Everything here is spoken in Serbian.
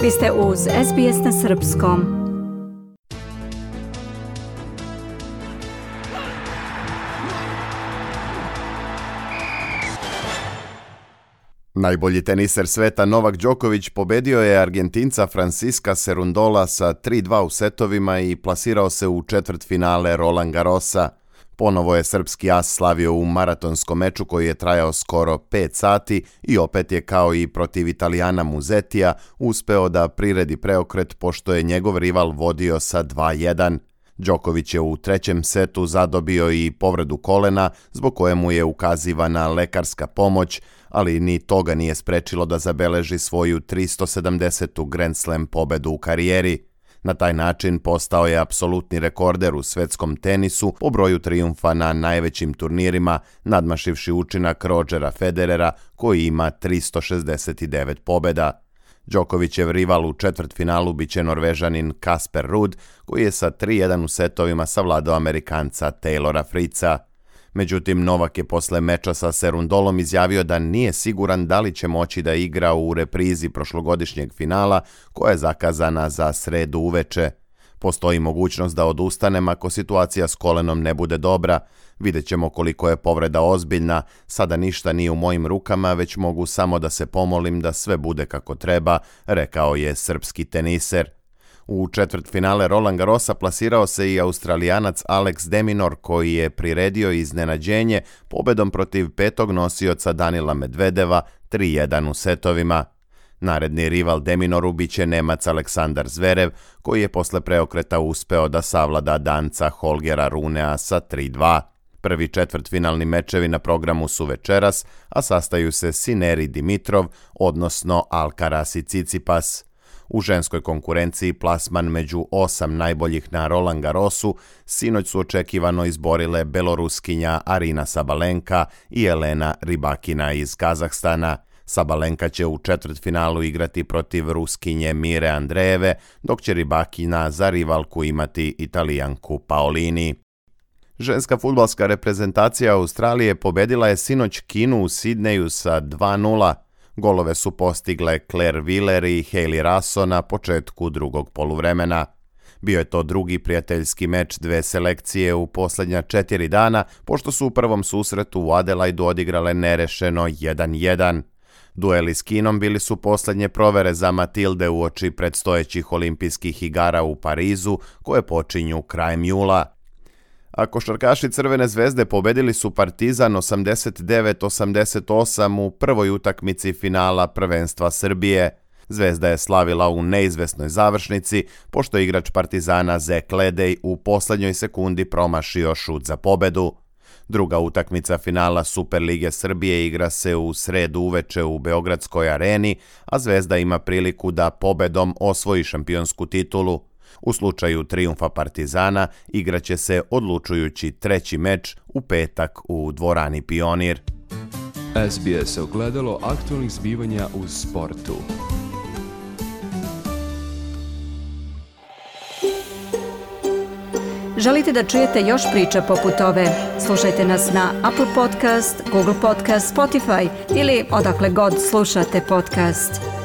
Vi ste uz SBS na srpskom. Najbolji teniser sveta Novak Đoković pobedio je Argentinca Francisca Cerundola sa 3-2 u setovima i plasirao se u četvrtfinale Roland Garrosa. Ponovo je srpski as slavio u maratonskom meču koji je trajao skoro 5 sati i opet je kao i protiv Italijana Musetija uspeo da priredi preokret pošto je njegov rival vodio sa 2-1. Đoković je u trećem setu zadobio i povredu kolena zbog koje mu je ukazivana lekarska pomoć, ali ni toga nije sprečilo da zabeleži svoju 370. Grand Slam pobedu u karijeri. Na taj način postao je apsolutni rekorder u svetskom tenisu po broju trijumfa na najvećim turnirima, nadmašivši učinak Rodgera Federera koji ima 369 pobeda. Đokovićev rival u četvrtfinalu biće Norvežanin Casper Ruud, koji je sa 3-1 u setovima savladao Amerikanca Taylora Fritza. Međutim, Novak je posle meča sa Cerundolom izjavio da nije siguran da li će moći da igra u reprizi prošlogodišnjeg finala koja je zakazana za sredu uveče. Postoji mogućnost da odustanem ako situacija s kolenom ne bude dobra. Vidjet ćemo koliko je povreda ozbiljna, sada ništa nije u mojim rukama, već mogu samo da se pomolim da sve bude kako treba, rekao je srpski teniser. U četvrtfinale Roland Garrosa plasirao se i Australijanac Alex de Minaur koji je priredio iznenađenje pobedom protiv petog nosioca Danila Medvedeva 3-1 u setovima. Naredni rival de Minauru biće Nemac Aleksandar Zverev koji je posle preokreta uspeo da savlada Danca Holgera Runea sa 3-2. Prvi četvrtfinalni mečevi na programu su večeras, a sastaju se Sinner i Dimitrov, odnosno Alcaraz i Tsitsipas. U ženskoj konkurenciji plasman među 8 najboljih na Roland Garrosu sinoć su očekivano izborile Beloruskinja Arina Sabalenka i Elena Rybakina iz Kazahstana. Sabalenka će u četvrtfinalu igrati protiv Ruskinje Mire Andreeve, dok će Rybakina za rivalku imati Italijanku Paolini. Ženska fudbalska reprezentacija Australije pobedila je sinoć Kinu u Sidneju sa 2-0. Golove su postigle Claire Wheeler i Hayley Raso na početku drugog poluvremena. Bio je to drugi prijateljski meč dve selekcije u posljednja 4 dana, pošto su u prvom susretu u Adelaidu odigrale nerešeno 1-1. Dueli s Kinom bili su posljednje provere za Matilde uoči predstojećih olimpijskih igara u Parizu, koje počinju krajem jula. A košarkaši Crvene zvezde pobedili su Partizan 89-88 u prvoj utakmici finala prvenstva Srbije. Zvezda je slavila u neizvesnoj završnici, pošto je igrač Partizana Zek Ledej u posljednjoj sekundi promašio šut za pobedu. Druga utakmica finala Superlige Srbije igra se u sredu uveče u Beogradskoj areni, a Zvezda ima priliku da pobedom osvoji šampionsku titulu. U slučaju trijumfa Partizana igraće se odlučujući treći meč u petak u dvorani Pionir. SBS ogledalo aktualnih zbivanja u sportu. Želite da čujete još priča poput ove? Slušajte nas na Apple Podcast, Google Podcast, Spotify ili odakle god slušate podcast.